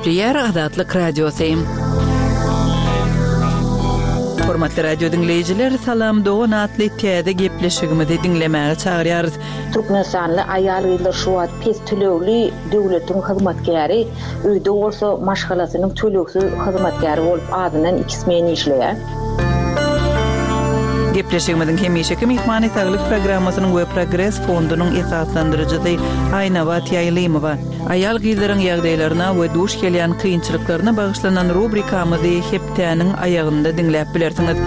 Gepleýär Azatlyk Radiosy. Hormatly radio diňleýjiler, Salam dogan atly täze gepleşigimizi diňlemäge çagyrýarys. Türkmenistanly aýal-gyzlar şu wagt pes tölegli döwletiň hyzmatkäri, öýde bolsa maşgalasynyň tölegsiz hyzmatkäri bolup azyndan iki smen işleýär. Gepleşigimiziň hemişeki myhmany Saglyk programmasynyň we Progres fondunyň esaslandyryjysy Aýnabat Ýaýlymowa. Aýal-gyzlaryň ýagdaýlaryna we duş gelýän kynçylyklaryna bagyşlanan rubrikamyzy hepdäniň aýagynda diňläp bilersiňiz.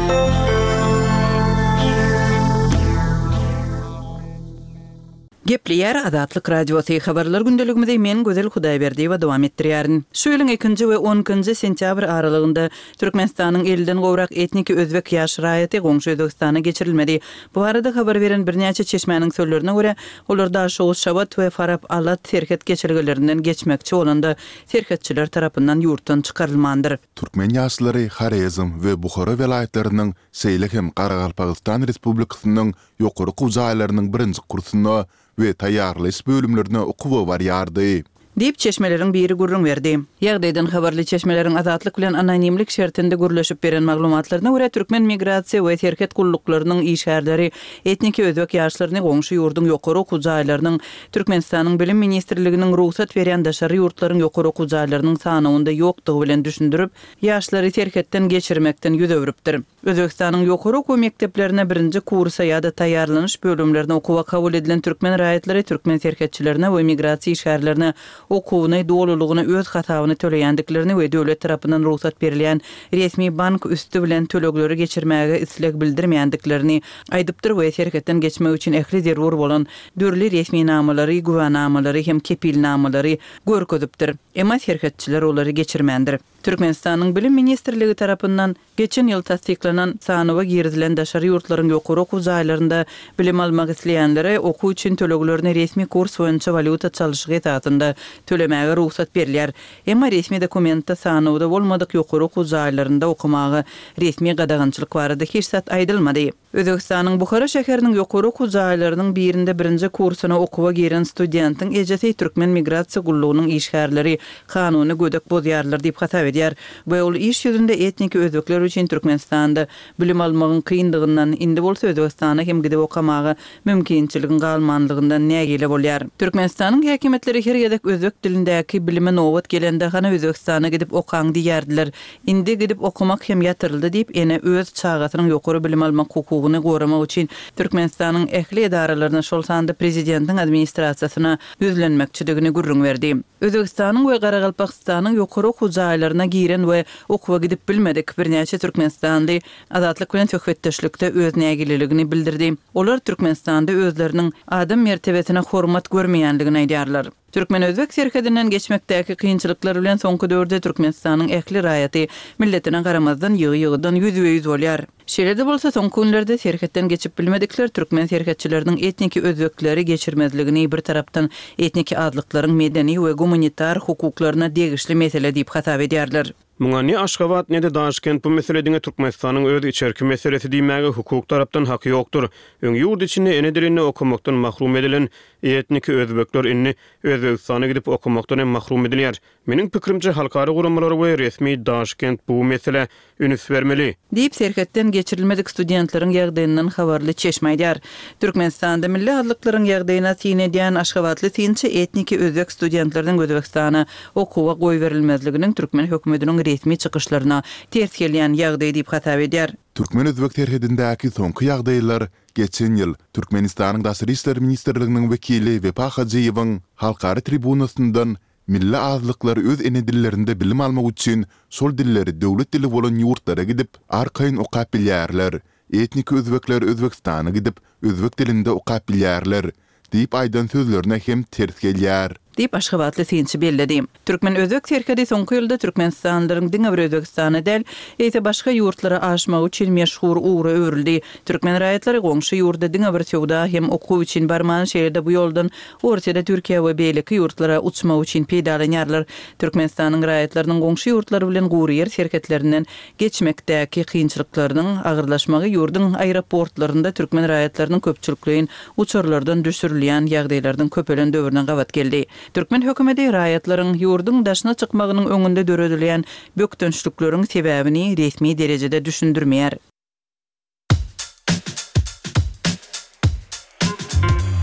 Gepleýär Azatlyk Radiosy, Habarlar gündeligimizi men Gözel Hudaýberdiýewa dowam etdirýärin. Şu ýylyň ikinji we on ikinji sentýabr aralygynda Türkmenistanyň elliden gowrak etniki özbek ýaş raýaty goňşy Özbegistana geçirilmedi. Bu barada habar beren birnäçe çeşmäniň sözlerine görä, olar Daşoguz, Şabat we Farap-Alat serhet geçelgelerinden geçmekçi bolanda, serhetçiler tarapyndan ýurtdan çykarylmandyr. Türkmen ýaşlary Horezm we Buhara welaýatlarynyň, şeýle hem Garagalpagystan Respublikasynyň ýokary okuw jaýlarynyň birinji kursuna we taýýarlaýyş bölümlerine okuwa barýardy. Diýip, çeşmeleriň biri gürrüň berdi. Ýagdaýdan habarly çeşmeleriň Azatlyk bilen anonimlik şertinde gürleşip beren maglumatlaryna görä, türkmen migrasiýa we serhet gulluklarynyň işgärleri etniki özbek ýaşlaryny goňşy ýurduň ýokary okuw jaýlarynyň Türkmenistanyň Bilim ministrliginiň rugsat berýän daşary ýurtlaryň ýokary okuw jaýlarynyň sanawynda ýokdugy bilen düşündirip, ýaşlary serhetden geçirmekden ýüz öwrüpdir. Özbegistanyň ýokary okuw mekdeplerine birinji kursa ýa-da taýýarlanyş bölümlerine okuwa kabul edilen türkmen raýatlary türkmen serhetçilerine we migrasiýa işgärlerine okuwyny dolulygyna öz hasabyna töleýändiklerini we döwlet tarapyndan rugsat berilýän resmi bank üsti bilen tölegleri geçirmäge isleg bildirmeýändiklerini aýdypdyr we serhetden geçmek üçin ähli zerur bolan dürli resminamalary, güwänamalary hem kepilnamalary görkezipdir. Emma serhetçiler olary geçirmändir. Türkmenistanyň Bilim ministrligi tarapyndan geçen ýyl tassyklanan sanawa girizilen daşary ýurtlaryň ýokary okuw jaýlarynda bilim almak isleýänlere okuw üçin töleglerini resmi kurs boýunça walýuta çalşygy esasynda tölemäge rugsat berilýär. Emma resmi dokumentde sanawda bolmadyk ýokary okuw jaýlarynda okamaga resmi gadagançylyk barada hiç zat aýdylmady. Özbegistanyň Buhara şäheriniň ýokary okuw jaýlarynyň birinde birinji kursyna okuwa giren studentiň ejesi türkmen migrasiýa gullugynyň işgärleri kanuny gödek bozýarlar diýip hasap edýär we ol iş ýüzünde etniki özbekler üçin Türkmenistanda bilim almagyň kyndygyndan, indi bolsa Özbegistana hem gidip okamaga mümkinçiligiň galmanlygyndan nägile bolýar. Türkmenistanyň häkimiýetleri her gezek özbek dilindäki bilime nobat gelende hany Özbegistana gidip okaň diýýärdiler. Indi gidip okamak hem ýatyryldy diýip, ene öz çagasynyň ýokary bilim almak hukugyny goramak üçin Türkmenistanyň ähli edaralaryna, şol sanda prezidentiň administrasiýasyna ýüzlenmekçidigini gürrüň berdi. Özbegistanyň we Garagalpagystanyň ýokary okuw jaýlaryna giren we okuwa gidip bilmedik birnäçe türkmenistanly Azatlyk bilen söhbetdeşlikde öz nägileligini bildirdi. Olar Türkmenistanda özleriniň adam mertebesine hormat görmeýändigini aýdýarlar. Türkmen-özbek serhedinden geçmekdäki kynçylyklar bilen soňky döwürde Türkmenistanyň ähli raýaty, milletine garamazdan, ýygy-ýygydan ýüzbe-ýüz bolýar. Şeýle-de bolsa, soňky günlerde serhetden geçip bilmedikler türkmen serhetçileriniň etniki özbekleri geçirmezligini bir tarapdan etniki azlyklaryň medeni we gumanitar hukuklaryna degişli mesele diýip hasap edýärler. Muňa ne Aşgabat, ne-de Daşkent bu mesele diňe Türkmenistanyň öz içerki meselesi diýmäge hukuk tarapdan haky ýokdur. Öň ýurt içinde ene dilinde okamakdan mahrum edilen etniki özbekler indi Özbegistana gidip okamakdan hem mahrum edilýär. Meniň pikirimçe halkara guramalary we resmi Daşkent bu meselä üns bermeli. Diýip, serhetden geçirilmedik studentleriň ýagdaýyndan habarly çeşme aýdýar. Türkmenistanda milli azlyklaryň ýagdaýyna syn edýän aşgabatly synçy etniki özbek studentleriniň Özbegistana okuwa goýberilmezliginiň türkmen hökümetiniň resmi çykyşlaryna ters gelýän ýagdaý diýip hasap edýär. Türkmen-özbek serhedindäki soňky ýagdaýlar geçen ýyl Türkmenistanyň Daşary işler ministrliginiň wekili Wepa Hajyýewiň halkara tribunasyndan Milli azlyklar öz ene dillerinde bilim almak üçin şol dilleri döwlet dili bolan ýurtlara gidip, arkaýyn okap bilýärler. Etniki özbekler Özbegistana gidip, özbek dilinde okap bilýärler diýip aýdan sözlerine hem ters gelýär. Diýip, aşgabatly synçy belledi. Türkmen-özbek serhedi soňky ýylda türkmenistanlylaryň diňe bir Özbegistana däl, eýse başga ýurtlara aşmagy üçin meşhur ugra öwrüldi. Türkmen raýatlary goňşy ýurda diňe bir söwda hem okuw üçin barman, şeýle-de bu ýoldan Orsýete, Türkiýä we beýleki ýurtlara uçmak üçin peýdalanýarlar. Türkmenistanyň raýatlarynyň goňşy ýurtlar bilen gury ýer serhetlerinden geçmekdäki kynçylyklarynyň agyrlaşmagy ýurduň aeroportlarynda türkmen raýatlarynyň köpçülikleýin uçarlardan düşürilýän ýagdaýlarynyň köpelen döwrüne gabat geldi. Türkmen hökümeti raýatlaryň ýurduň daşyna çykmagynyň öňünde döredilýän bökdençlikleriň sebäbini resmi derejede düşündirmeýär.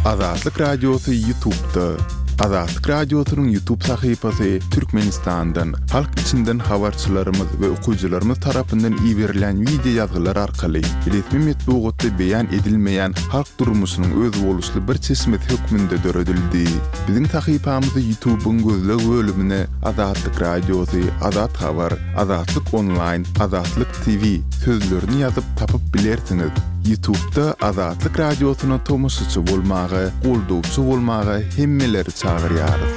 Azatlyk Radiosy Ýutubda. Azatlyk Radiosynyň Ýutub sahypasy Türkmenistandan, halk içinden habarçylarymyz we okyjylarymyz tarapyndan iberilen wideo ýazgylar arkaly resmi metbugatda beýan edilmeýän halk durmuşynyň özboluşly bir çeşmesi hökmünde döredildi. Biziň sahypamyzy Ýutubyň gözleg bölümine Azatlyk Radiosy, Azat Habar, Azatlyk Onlaýn, Azatlyk TV sözlerini ýazyp tapyp bilersiňiz. Ýutubda Azatlyk Radiosyna tomaşaçy bolmaga, goldawçy bolmaga hemmeleri çagyrýarys.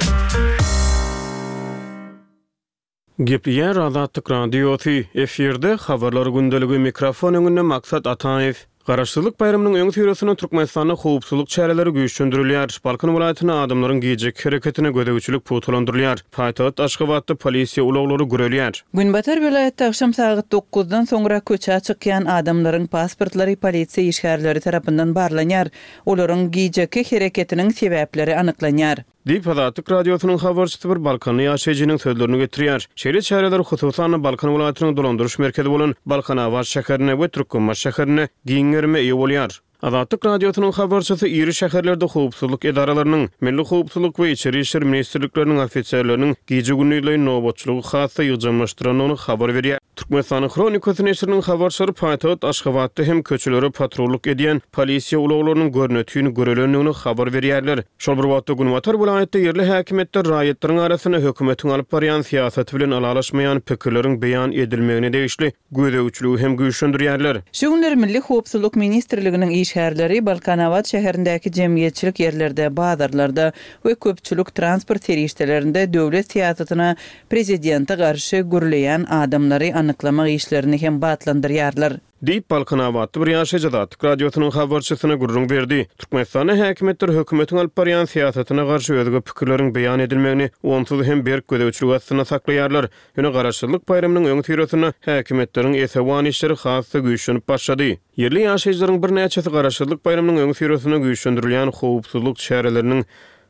Gepleýär Azatlyk Radiosy, efirde Habarlar gündeligi, mikrofon öňünde Maksat Ataýew. Garaşsyzlyk baýramynyň öňüsyrasynda Türkmenistanda howpsuzlyk çäreleri güýçlendirilýär. Balkan welaýatynda adamlaryň gijeki hereketine gözegçilik pugtalandyrylýar. Paýtagt Aşgabatda polisiýa ulaglary gürelýär. Günbatar welaýatda agşam sagat dokuzdan soňra köçä çykýan adamlaryň pasportlary polisiýa işgärleri tarapyndan barlanýar. Olaryň gijeki hereketiniň sebäpleri anyklanýar. Diýip, Azatlyk Radiosynyň habarçysy bir balkanly ýaşaýjynyň sözlerini getirýär. Şeýle çäreler, hususan-da, Balkan welaýatynyň dolandyryş merkezi bolan Balkanabat şäherinde we Türkmenbaşy şäherinde giň gerime eýe bolýar. Azatlyk Radiosynyň habarçysy iri şäherlerde howpsuzlyk edaralarynyň, Milli howpsuzlyk we Içeri işler ministrlikleriniň ofiserleriniň gije-gündizleýin nobatçylygy has-da ýygjamlaşdyrandygyny habar berýär. Türkmenistanyň Hronikasy neşiriniň habarçylary paýtagt Aşgabatda hem köçelere patrullyk edýän polisiýa ulaglarynyň görnetin görelendigini habar berýärler. Şol bir wagtda, günbatar welaýatda ýerli häkimiýetler raýatlaryň arasynda hökümetiň alyp barýan syýasaty bilen ylalaşmaýan pikirleriň beýan edilmegine degişli gözegçiligi hem güýçlendirýärler. Şu günler Milli howpsuzlyk ministrliginiň işgärleri Balkanabat şäherindäki jemgyýetçilik ýerlerde, bazarlarda we köpçülik transport serişdelerinde döwlet syýasatyna prezidente garşy gürleýän adamlary anyklamak işlerini hem batlandyrýarlar. Diýip, balkanabatly bir ýaşaýjy Azatlyk Radiosynyň habarçysyna gürrüň berdi. Türkmenistanda häkimiýetler hökümetiň alyp barýan syýasatyna garşy özge pikirleriň beýan edilmegini onsuz hem berk gözegçilik astynda saklaýarlar. Ýöne Garaşsyzlyk baýramynyň öňüsyrasynda häkimiýetleriň esewan işleri has-da güýçlenip başlady. Ýerli ýaşaýjylaryň birnäçesi Garaşsyzlyk baýramynyň öňüsyrasynda güýçlendirilýän howpsuzlyk çäreleriniň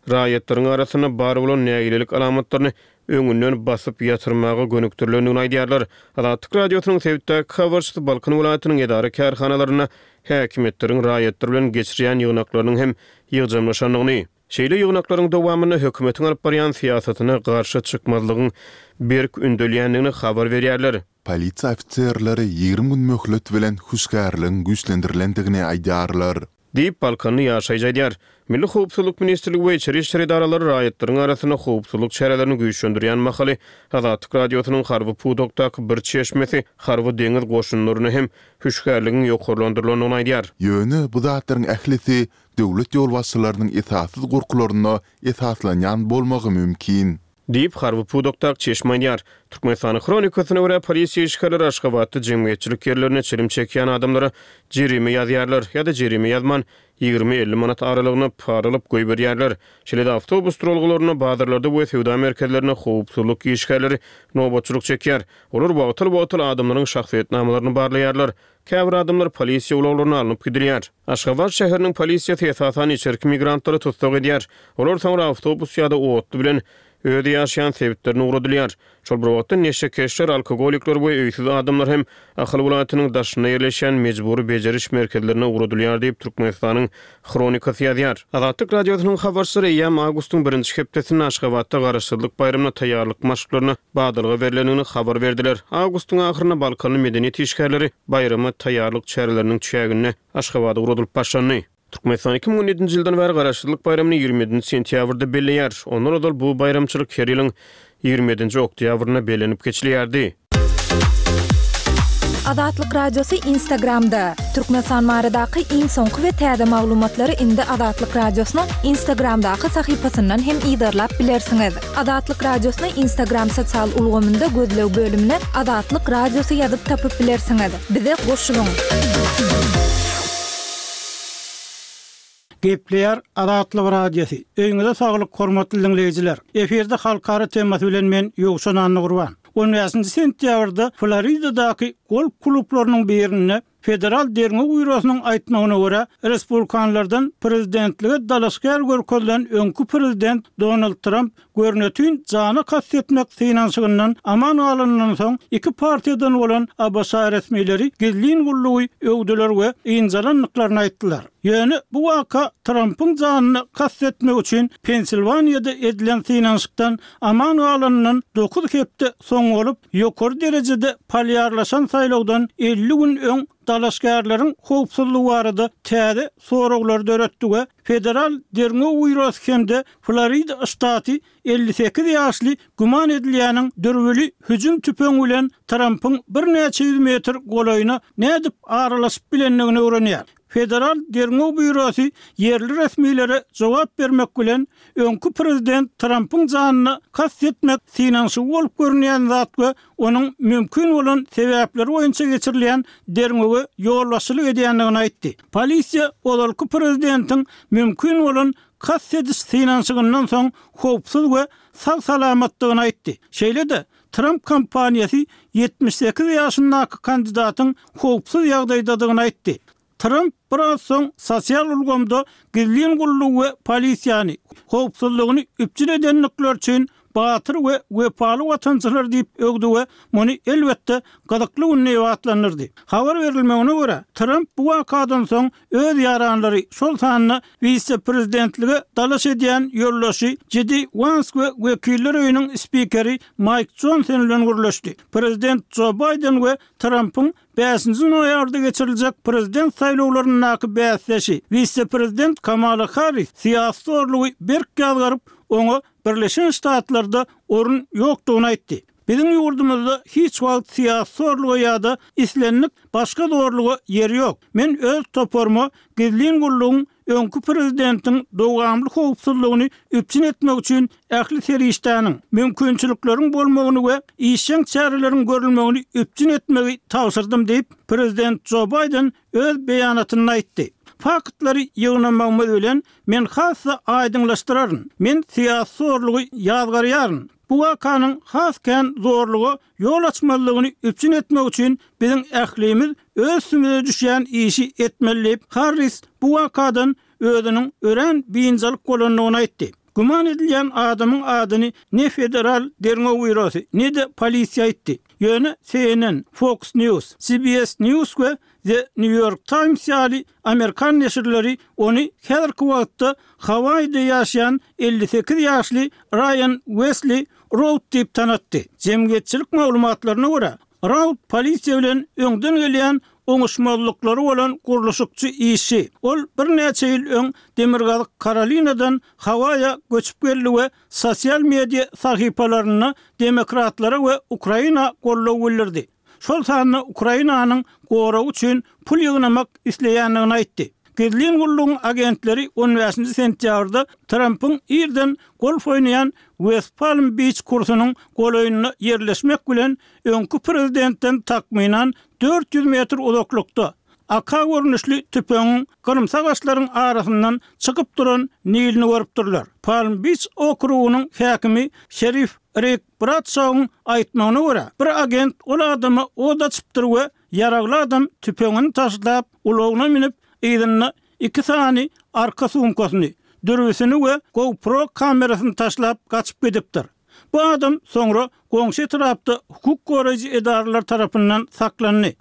raýatlaryň arasynda bar bolan nägilelik alamatlaryny öňünden basyp ýatyrmaga gönükdirilendigini aýdýarlar. Azatlyk Radiosynyň sebitdäki habarçysy Balkan welaýatynyň edara-kärhanalarynda häkimiýetleriň raýatlar bilen geçirýän ýygnaklarynyň hem ýygjamlaşandygyny, şeýle ýygnaklaryň dowamynda hökümetiň alyp barýan syýasatyna garşy çykmazlygyň berk ündelýändigini habar berýärler. Polisiýa ofiserleri 20 gün möhlet bilen hüşgärligiň güýçlendirilendigini aýdýarlar. Diýip, balkanly ýaşaýjy aýdýar. Milli howpsuzlyk ministrligi we içeri işler edaralary raýatlaryň arasynda howpsuzlyk çärelerini güýçlendirýän mahaly, Azatlyk Radiosynyň harby pudakdaky bir çeşmesi harby-deňiz goşunlaryna hem hüşgärligiň ýokarlandyrylandygyny aýdýar. Ýöne bu zatlaryň ählisi döwlet ýolbaşçylarynyň esassyz gorkularyna esaslanýan bolmagy mümkin. Diýip, harby pudakdaky çeşme aýdýar. Türkmenistanyň Hronikasyna görä, polisiýa işgärleri Aşgabatda jemgyýetçilik ýerlerinde çilim çekýän adamlara jerime ýazýarlar ýa-da jerime ýazman, 20-50 manat aralygynda para alyp goýberýärler. Şeýle-de awtobus duralgalarynda, bazarlarda we söwda merkezlerinde howpsuzlyk işgärleri nobatçylyk çekýär. Olar wagtal-wagtal adamlaryň şahsyýetnamalaryny barlaýarlar. Käbir adamlar polisiýa ulaglaryna alnyp gidilýär. Aşgabat şäheriniň polisiýasy esasan içerki migrantlary tussag edýär. Olar soňra awtobus ýa-da otly bilen öz ýaşaýan sebitlerine ugradylýar. Şol bir wagtda neşekeşler, alkogolikler we öýsüz adamlar hem Ahal welaýatynyň daşynda ýerleşýän mejbury bejeriş merkezlerine ugradylýar diýip, Türkmenistanyň Hronikasy ýazýar. Azatlyk Radiosynyň habarçylary eýýäm awgustyň birinji hepdesinde Aşgabatda Garaşsyzlyk baýramyna taýýarlyk maşklaryna badalga berlendigini habar berdiler. Awgustyň ahyrynda balkanly medeniýet işgärleri baýrama taýýarlyk çäreleriniň çäginde Aşgabada ugradylyp başlandy. Türkmenistan 2017-nji ýyldan bäri Garaşsyzlyk baýramyny 27-nji sentýabrda belleýär. Ondan ozal bu baýramçylyk her ýylyň 27-nji oktýabrynda bellenip geçilýärdi. Azatlyk Radiosy Instagramda, Türkmenistan baradaky iň soňky we täze maglumatlary indi Azatlyk Radiosynyň Instagramdaky sahypasyndan hem yzarlap bilersiňiz. Azatlyk Radiosyny Instagram sosial ulgamynda gözleg bölümine Azatlyk Radiosy ýazyp tapyp bilersiňiz. Bize goşulyň! Gepleýär Azatlyk Radiosy. Öýüňize saglyk hormatly diňleýjiler. Efirde halkara temasy bilen men Ýowşan Annagurban. On bäşinji sentýabrda Floridadaky golf klublarynyň birinde. Federal derňew býurosynyň aýtmagyna görä, respublikanlardan prezidentlige dalaşgär görkezilen öňki prezident Donald Tramp görnetin jana kast etmek synanyşygyndan aman galanyndan soň, iki partiýadan bolan ABŞ resmileri gizlin gullugy öwdüler we ynjalandyklaryny aýtdylar. Ýöne bu waka Trampyň janyna kast etmek üçin Pensilwaniýada edilen synanyşykdan aman galanyndan dokuz hepde soň bolup, ýokary derejede polýarlaşan saýlawdan 50 gün öň dalaşgärleriň howpsuzlygy barada täze soraglary döretdi we Federal derňew býurosy hem-de Florida ştaty 58 ýaşly güman edilýäniň dürbüli hüjüm tüpeňi bilen Trampyň birnäçe ýüz metr golaýyna nädip aralaşyp bilendigini öwrenýär. Federal derňew býurosy ýerli resmilere jogap bermek bilen, öňki prezident Trampyň janyna kast etmek synanyşygy bolup görünýän zat we onuň mümkin bolan sebäpleri boýunça geçirilýän derňewe ýolbaşçylyk edýändigini aýtdy. Polisiýa ozalky prezidentiň mümkin bolan kast ediş synanyşygyndan soň howpsuz we sag-salamatdygyny aýtdy. Şeýle-de, Tramp kampaniýasy 78 ýaşyndaky kandidatyň howpsuz ýagdaýdadygyny aýtdy. Tramp biraz soň sosial ulgamda gizlin gullugy we polisiýany howpsuzlygyny üpjün edendikleri üçin batyr we wepaly watançylar diýip öwdi we muny elbetde gyzykly gün diýip atlandyrdy. Habar berilmegine görä, Tramp bu wakadan soň öz ýaranlary, şol sanda wise-prezidentlige dalaş edýän ýoldaşy Jedi Wans we Wekiller öýüniň spikeri Maýk Jonson bilen gürleşdi. Prezident Jo Baýden we Trampyň Bäşinji noýabrda geçiriljek prezident saýlawlaryndaky bäsdeşi, wise-prezident Kamala Harris syýasy zorlugy berk ýazgaryp, oňa Birleşen Ştatlarda orun ýokdugyny aýtdy. Biziň ýurdumyzda hiç wagt syýasy zorluga ýa-da islendik başga zorluga ýer ýok. Men öz toparyma gizlin gullugyň öňki prezidentiň dowamly howpsuzlygyny üpjün etmek üçin ähli serişdäniň, mümkinçilikleriň bolmagyny we işjeň çäreleriň görülmegini üpjün etmegi tabşyrdym diýip, prezident Jo Baýden öz beýanatynda aýtdy. Faktlary ýygnamagymyz bilen men has-da aýdyňlaşdyraryn. Men syýasy zorlugy ýazgarýaryn. Bu wakanyň has kän zorluga ýol açmazlygyny üpjün etmek üçin biziň ählimiz öz üstümize düşýän işi etmeli diýip, Harris bu wakadan özüniň örän biynjalyk bolandygyny aýtdy. Güman edilýän adamyň adyny ne Federal derňew býurosy, ne-de polisiýa aýtdy. Ýöne CNN, Fox News, CBS News we The New York Times ýaly amerikan neşirleri ony häzirki wagtda Hawaýide ýaşaýan 58 ýaşly Raýan Wesli Roud diýip tanatdy. Jemgyýetçilik maglumatlaryna görä, Roud polisiýa bilen öňden gelýän oňuşmazlyklary bolan gurluşykçy işçi. Ol birnäçe ýyl öň Demirgazyk Karolinadan Hawaýa göçüp geldi we sosial media sahypalarynda demokratlara we Ukraina goldaw bildirdi. Şol sanda Ukrainanyň goragy üçin pul ýygnamak isleýändigini aýtdy. Gizlin gullugyň agentleri on bäşinji sentýabrda Trampyň irden golf oýnaýan West Palm Beach kursunyň golaýynda ýerleşmek bilen öňki prezidentden takmynan 400 metr uzaklykda, AK görnüşli tüpeňiň gyrymsy agaçlaryň arasyndan çykyp duran nilini görüpdirler. Palm Beach okrugynyň häkimi şerif Rik Bradşowyň aýtmagyna görä, bir agent ol adama od açypdyr we ýaragly adam tüpeňini taşlap, ulagyna münüp, yzynda iki sany arka sumkasyny, dürbüsini we GoPro kamerasyny taşlap gaçyp gidipdir. Bu adam soňra goňşy etrapda hukuk goraýjy edaralar tarapyndan saklandy.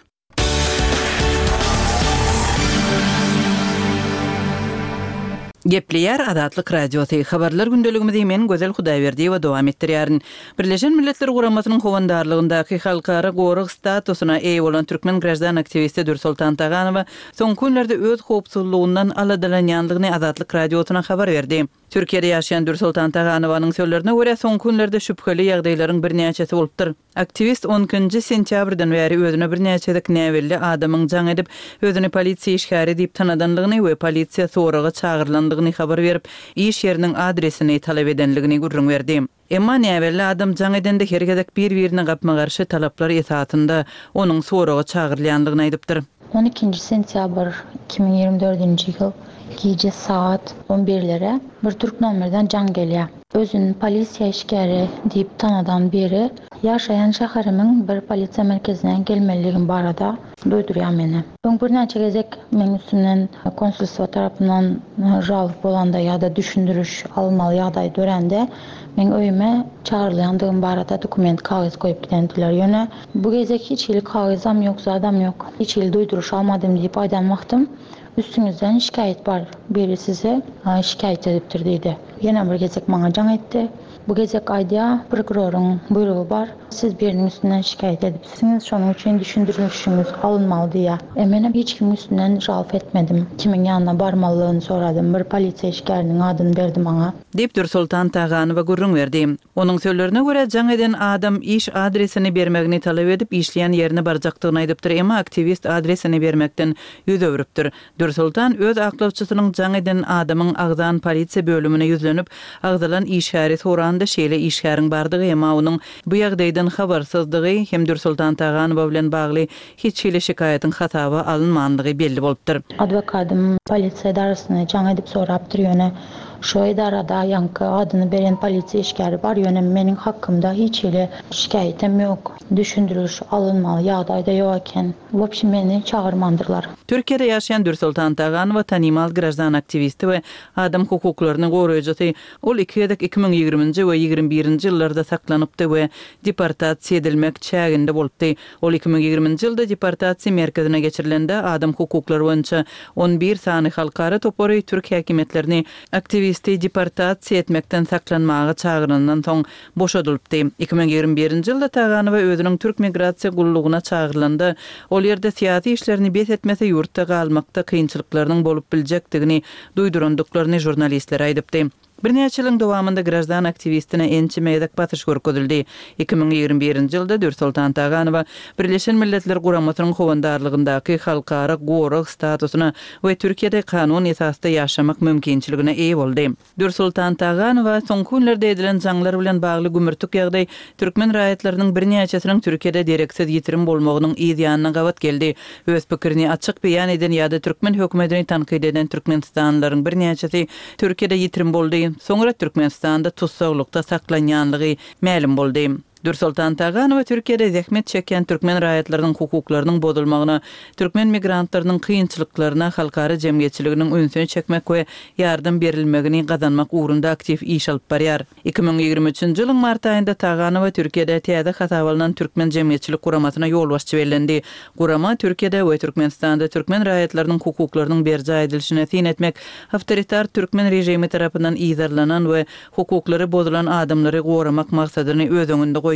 Gepleýär Azatlyk Radiosy, Habarlar gündeligimizi men Gözel Hudaýberdiýewa dowam etdirýärin. Birleşen Milletler Guramasynyň howandarlygyndaky halkara gorag statusyna eýe bolan türkmen graždan aktiwisti Dürsoltan Taganowa soňky günlerde öz howpsuzlygyndan aladalanýandygyny Azatlyk Radiosyna habar berdi. Türkiýede ýaşaýan Dürsoltan Taganowanyň sözlerine görä, soňky günlerde şübheli ýagdaýlaryň birnäçesi bolupdyr. Aktiwist on ikinji sentýabrdan bäri özüne birnäçe gezek näbelli adamyň jaň edip, özüni polisiýa işgäri diýip tanadanlygyny we polisiýa soraga çagyrylandygyny habar berip, iş ýeriniň adresini talap edenligini gürrüň berdi. Emma näbelli adam jaň edende her gezek bir-birine gapma-garşy talaplar esasynda onuň soraga çagyrylýandygyny aýdypdyr. On ikinji sentýabr 2024-nji ýyl gije sagat on birlere bir türk nomerden jaň gelýär. Özüni polisiýa işgäri diýip tanadan biri ýaşaýan şäherimiň bir polisiýa merkezine gelmelidigim barada duýdurýar meni. Öň birnäçe gezek meň üstümden konsulstwo tarapyndan žalob bolanda ýa-da düşündiriş alynmaly ýagdaý dörände meň öýüme çagyrylýandygym barada dokument kagyz goýup gidendiler. Ýöne bu gezek hiç hili kagyzam ýok, zadam ýok. Hiç hili duýduryş almadym diýip aýdan wagtym üstüňizden şikaýat bar, biri size şikaýat edipdir diýdi. Ýene bir gezek maňa jaň etdi. Bu gezek aýdýar, prokuroryň buýrugy bar, siz biriniň üstünden şikaýat edipsiňiz, şonuň üçin düşündirişiňiz alynmaly diýýär. E menem hiç kimiň üstünden žalba etmedim. Kimiň ýanyna barmalydygyny soradym. Bir polisiýa işgäriniň adyny berdi maňa. Diýip, Dürsoltan Taganowa gürrüň berdi. Onuň sözlerine görä, jaň eden adam iş adresini bermegini talap edip, işleýän ýerine barjakdygyny aýdypdyr, emma aktiwist adresini bermekden ýüz öwrüpdir. Dürsoltan öz aklawçysynyň jaň eden adamyň agzan polisiýa bölümine ýüzlenip, agzalan işgäri soranda şeýle işgäriň bardygy, emma onuň bu ýagdaýdan habarsyzdygy hem Dürsoltan Taganowa bilen bagly hiç hili şikaýatyň hasaba alynmandygy belli bolupdyr. Adwokatym polisiýa edarasyna jaň edip sorapdyr, ýöne şo edarada ýaňky adyny beren polisiýa işgäri bar, ýöne meniň hakymda hiç hili şikaýatam ýok, düşündiriş alynmaly ýagdaý-da ýok eken. Wobşem meni çagyrmandyrlar. Türkiýede ýaşaýan Dürsoltan Taganowa tanymal graždan aktiwisti we adam hukuklaryny goraýjysy. Ol iki gezek 2020-nji we 21-nji ýyllarda saklanypdy we deportasiýa edilmek çäginde bolupdy. Ol 2020-nji ýylda deportasiýa merkezine geçirilende adam hukuklary boýunça on bir sany halkara topary türk häkimiýetlerini aktiwisti deportasiýa etmekden saklanmaga çagyrandan soň boşadylypdy. 2021-nji ýylda Taganowa özüniň türk migrasiýa gullugyna çagyrylanda, ol ýerde syýasy işlerini bes etmese ýurtda galmakda kynçylyklarynyň bolup biljekdigini duýdurandyklaryny žurnalistlere aýdypdy. Birnäçe ýylyň dowamynda graždan aktiwistine ençeme gezek basyş görkezildi. 2021-nji ýylda Dürsoltan Taganowa Birleşen Milletler Guramasynyň howandarlygyndaky halkara gorag statusyna we Türkiýede kanun esasda ýaşamak mümkinçiligine eýe boldy. Dürsoltan Taganowa soňky günlerde edilen jaňlar bilen bagly gümürtik ýagdaý türkmen raýatlarynyň birnäçesiniň Türkiýede dereksiz ýitirim bolmagynyň yz ýanyna gabat geldi. Öz pikirini açyk beýan eden ýa-da türkmen hökümetini tankyt eden türkmenistanlylaryň birnäçesi Türkiýede ýitirim boldy, soňra Türkmenistanda tussaglykda saklanýanlygy mälim boldy. Dürsoltan Taganowa Türkiýede zähmet çekýän türkmen raýatlarynyň hukuklarynyň bozulmagyna, türkmen migrantlarynyň kynçylyklaryna halkara jemgyýetçiliginiň ünsüni çekmek we ýardam berilmegini gazanmak ugrunda aktiw iş alyp barýar. 2023-nji ýylyň mart aýynda Taganowa Türkiýede täze hasaba alnan Türkmen jemgyýetçilik guramasyna ýolbaşçy bellendi. Gurama Türkiýede we Türkmenistanda türkmen raýatlarynyň hukuklarynyň berjaý edilişine syn etmek, awtoritar türkmen režimi tarapyndan yzarlanan we hukuklary bozulan adamlary goramak maksadyny öz öňünde goýýar.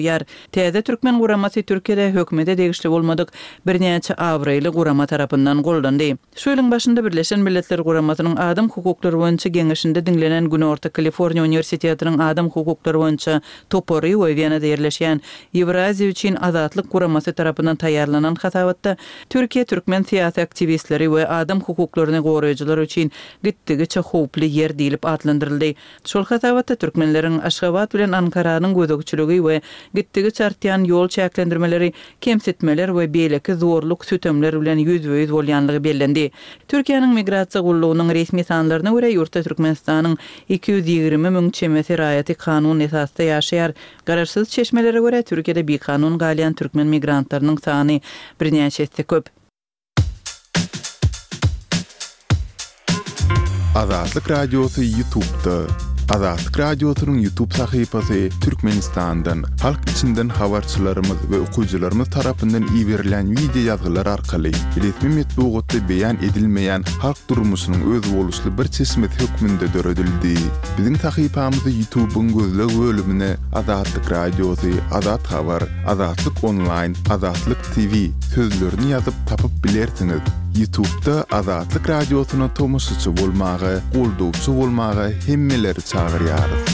Täze türkmen guramasy Türkiýede hökümete degişli bolmadyk birnäçe abraýly gurama tarapyndan goldandy. Şu ýylyň başynda Birleşen Milletler Guramasynyň Adam hukuklary boýunça Geňeşinde diňlenen Günorta Kaliforniýa uniwersitetiniň adam hukuklary boýunça topary we Wenada ýerleşýän Ýewraziýa üçin azatlyk guramasy tarapyndan taýýarlanan hasabatda Türkiýe türkmen syýasy aktiwistleri we adam hukuklaryny goraýjylar üçin gitdigiçe howply ýer diýlip atlandyryldy. Şol hasabatda türkmenleriň Aşgabat bilen Ankaranyň gözegçiligi we gitdigiçe artýan ýol çäklendirmeleri, kemsitmeler we beýleki zorluk-sütemler bilen ýüzbe-ýüz bolýanlygy bellendi. Türkiýäniň Migrasiýa gullugynyň resmi sanlaryna görä, ýurtda Türkmenistanyň 220 müň çemesi raýaty kanun esasda ýaşaýar. Garaşsyz çeşmelere görä, Türkiýede bikanun galýan türkmen migrantlarynyň sany birnäçe esse köp. Azatlyk Radiosy Ýutubda. Azatlyk Radiosynyň Ýutub sahypasy Türkmenistandan, halk içinden habarçylarymyz we okyjylarymyz tarapyndan iberilen wideo ýazgylar arkaly resmi metbugatda beýan edilmeýän halk durmuşynyň özboluşly bir çeşmesi hökmünde döredildi. Biziň sahypamyzy Ýutubyň gözleg bölümine Azatlyk Radiosy, Azat Habar, Azatlyk Onlaýn, Azatlyk TV sözlerini ýazyp tapyp bilersiňiz. Ýutubda Azatlyk Radiosyna tomaşaçy bolmaga, goldawçy bolmaga hemmeleri çagyrýarys.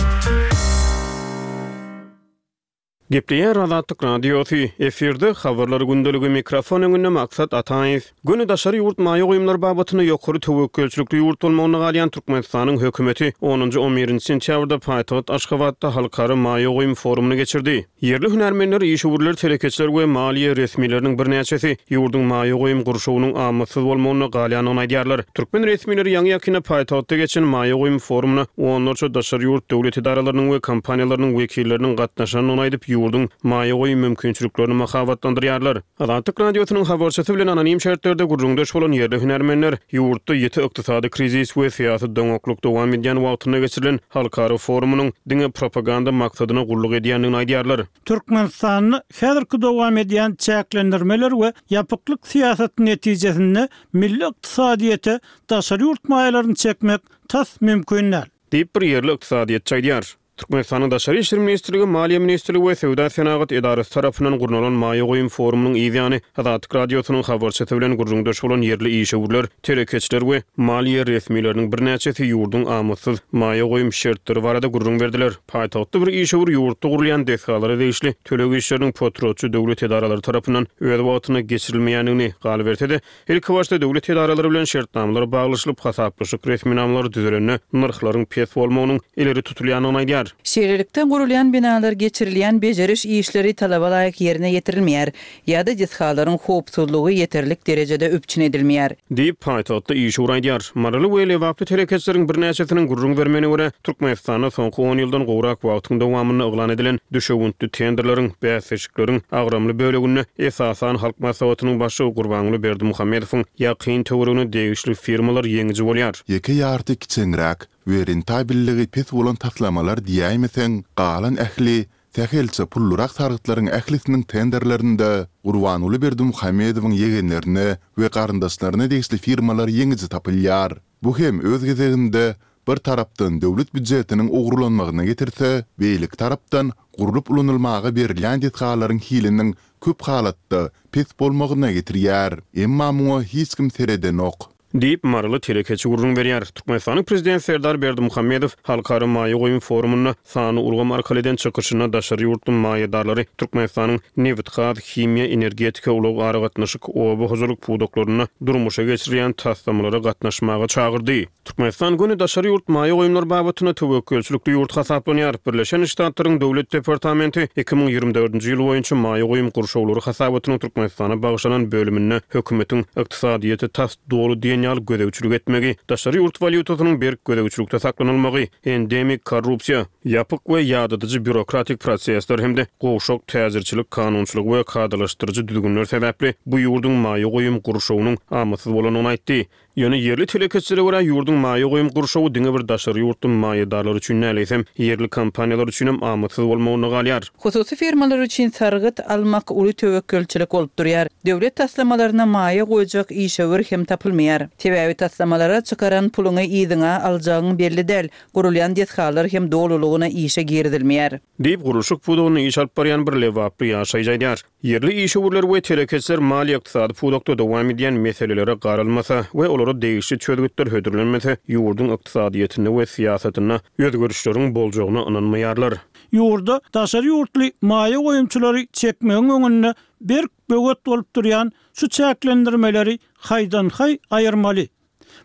Gepleýär Azatlyk Radiosy, efirde Habarlar gündeligi, mikrofon öňünde Maksat Ataýew. Göni daşary ýurt maýa goýumlary babatynda ýokary töwekgelçilikli ýurt bolmagynda galýan Türkmenistanyň hökümeti onunjy, on birinji sentýabrda paýtagt Aşgabatda halkara maýa goýum forumyny geçirdi. Ýerli hünärmenler, işewürler, telekeçiler we maliýe resmileriniň birnäçesi ýurduň maýa goýum gurşawynyň amatsyz bolmagynda galýandygyny aýdýarlar. Türkmen resmileri ýaňy-ýakynda paýtagtda geçen maýa goýum forumyna onlarça daşary ýurt döwlet edaralarynyň we kompaniýalarynyň wekilleriniň gatnaşandygyny aýdyp, ýurduň maýa goýum mümkinçiliklerini mahabatlandyrýarlar. Azatlyk Radiosynyň habarçysy bilen anonim şertlerde gürrüňdeş bolan ýerli hünärmenler ýurtda ýiti ykdysady krizis we syýasy doňaklyk dowam edýän wagtynda geçirilen halkara forumynyň diňe propaganda maksadyna gulluk edýändigini aýdýarlar. Türkmenistanda häzirki dowam edýän çäklendirmeler we ýapyklyk syýasaty netijesinde milli ykdysadyýete daşary ýurt maýalaryny çekmek tas mümkin däl. Diýip, bir ýerli ykdysadyýetçi aýdýar. Türkmenistanyň Daşary işler ministrligi, Maliýe ministrligi we Söwda-senagat edarasy tarapyndan gurnalan maýa goýum forumynyň yz ýany, Azatlyk Radiosynyň habarçysy bilen gürrüňdeş bolan ýerli işewürler, telekeçiler we maliýe resmileriniň birnäçesi ýurduň amatsyz maýa goýum şertleri barada gürrüň berdiler. Paýtagtda bir işewür ýurtda gurulýan desgalara degişli töleg işleriniň potratçy döwlet edaralary tarapyndan öz wagtynda geçirilmeýändigini, galyberse-de, Ilkibaşda döwlet edaralary bilen şertnamalar baglaşylyp, hasaplaşyk resminamalary düzülende nyrhlaryň pes bolmagynyň ileri tutulýandygyny aýdýar. Şeýlelikde, gurulýan binalar geçirilýän bejeriş işleri talaba laýyk ýerine ýetirilmeýär ýa-da desgalaryň howpsuzlygy ýeterlik derejede üpjün edilmeýär. Diýip, paýtagtda işewür aýdýar. Maryly we lebaply telekeçileriň birnäçesiniň gürrüň bermegine görä, Türkmenistanda soňky on ýyldan gowrak wagtyň dowamynda yglan edilen düşewüntli tenderleriň, bäsleşikleriň agramly böleginde, esasan, Halk Maslahatynyň Başlygy Gurbanguly Berdimuhamedowyň ýakyn töweregine degişli firmalar ýeňiji bolýar. Ýeke ýarty kiçeňräk we rentabelligi pes bolan taslamalar diýäýmeseň, galan ähli sähelçe pullurak sargytlaryň ählisiniň tenderlerinde Gurbanguly Berdimuhamedowyň ýegenlerine we garyndaşlaryna degişli firmalar ýeňiji tapylýar. Bu hem öz gezeginde bir tarapdan döwlet býujetiniň ogurlanmagyna getirse, beýleki tarapdan gurlup ulanylmaga berilýän desgalaryň hiliniň köp halatda pes bolmagyna getirýär. Emma muňa hiç kim seredenok. Diýip, maryly telekeçi gürrüň berýär. Türkmenistanyň Prezidenti Serdar Berdimuhamedow Halkara maýa goýum forumynda sanly ulgam arkaly eden çykyşynda daşary ýurtly maýadarlary Türkmenistanyň nebitgaz, himiýa, energetika, ulag-aragatnaşyk, oba hojalyk pudaklarynda durmuşa geçirilýän taslamalara gatnaşmaga çagyrdy. Türkmenistan göni daşary ýurt maýa goýumlary babatynda töwekgelçilikli ýurt hasaplanýar. Birleşen Ştatlaryň Döwlet departamenti 2024-nji ýyl boýunça maýa goýum gurşawlary hasabatynyň Türkmenistana bagyşlanan bölüminde hökümetiň ykdysadyýete tas doly diýen ýaly gözegçilik etmegi, daşary ýurt walýutasynyň berk gözegçilikde saklanylmagy, endemik korrupsiýa, ýapyk we ýadadyjy býurokratik prosesler hem-de gowşak täjirçilik kanunçylygy we kadalaşdyryjy düzgünler sebäpli bu ýurduň maýa goýum gurşawynyň amatsyz bolandygyny aýtdy. Ýöne ýerli telekeçilere görä, ýurduň maýa goýum gurşawy diňe bir daşary ýurtly maýadarlar üçin däl, eýsem, ýerli kompaniýalar üçinem amatsyz bolmagynda galýar. Hususy firmalar üçin sargyt almak uly töwekgelçilik bolup durýar. Döwlet taslamalaryna maýa goýjak işewür hem tapylmaýar. Sebäbi taslamalara çykaran puluňy yzyňa aljagyň belli däl, gurulýan desgalar hem dolulygyna işe girizilmeýär. Diýip, gurluşyk pudagynda iş alyp barýan bir lebaply ýaşaýjy aýdýar. Ýerli işewürler we telekeçiler maliýe-ykdysady pudakda dowam edýän meselelere garalmasa we olara degişli çözgütler hödürlenmese, ýurduň ykdysadyýetinde we syýasatynda özgerişleriň boljagyna ynanmaýarlar. Ýurda daşary ýurtly maýa goýumçylary çekmegiň öňünde berk böwet bolup durýan şu çäklendirmeleri haýdan-haý aýyrmaly.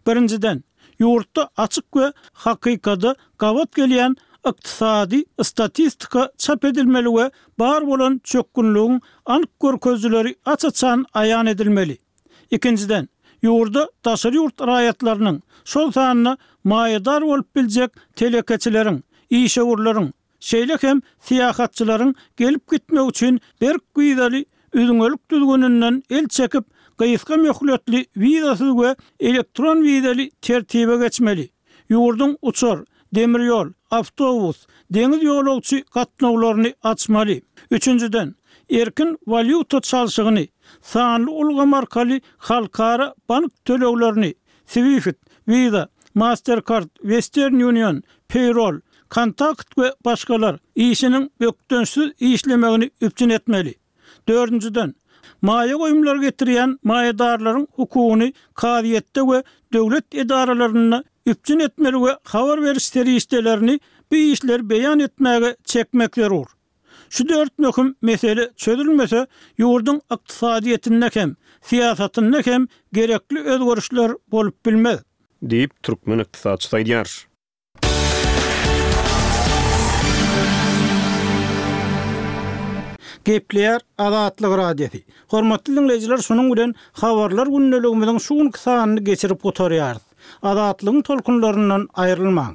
Birinjiden, ýurtda açyk we hakykada gabat gelýän ykdysady statistika çap edilmeli we bar bolan çökgünligiň anyk görkezijileri aç-açan aýan edilmeli. Ikinjiden, ýurda daşary ýurt raýatlarynyň, şol sanda maýadar bolup biljek telekeçileriň, işewürleriň, Şeýle hem syýahatçylaryň gelip-gitmegi üçin berk wizaly üzňelik düzgüninden el çekip, gysga möhletli wizasyz we elektron wizaly tertibe geçmeli. Ýurduň uçar, demir ýol, awtobus, deňiz ýolagçy gatnawlaryny açmaly. Üçünjiden, erkin walýuta çalşygyny, sanly ulgam arkaly halkara bank töleglerini, Swift, Visa, Mastercard, Western Union, Payroll, Kontakt we başgalar, işiniň bökdençsiz işlemegini üpjün etmeli. Dördünjiden, maýa goýumlary getirýän maýadarlaryň hukugyny kazyýetde we döwlet edaralarynda üpjün etmeli we habar beriş serişdelerini bu işleri beýan etmäge çekmek zerur. Şu dört möhüm mesele çözülmese, ýurduň ykdysadyýetinde hem, syýasatynda hem gerekli özgerişler bolup bilmez. Diýip, türkmen ykdysatçysy aýdýar. Gepleýär Azatlyk Radiosy. Hormatly diňleýjiler şunuň bilen Habarlar gündeligimiziň şu günki sanyny geçirip gutarýarys. Azatlygyň tolkunlaryndan aýrylmaň.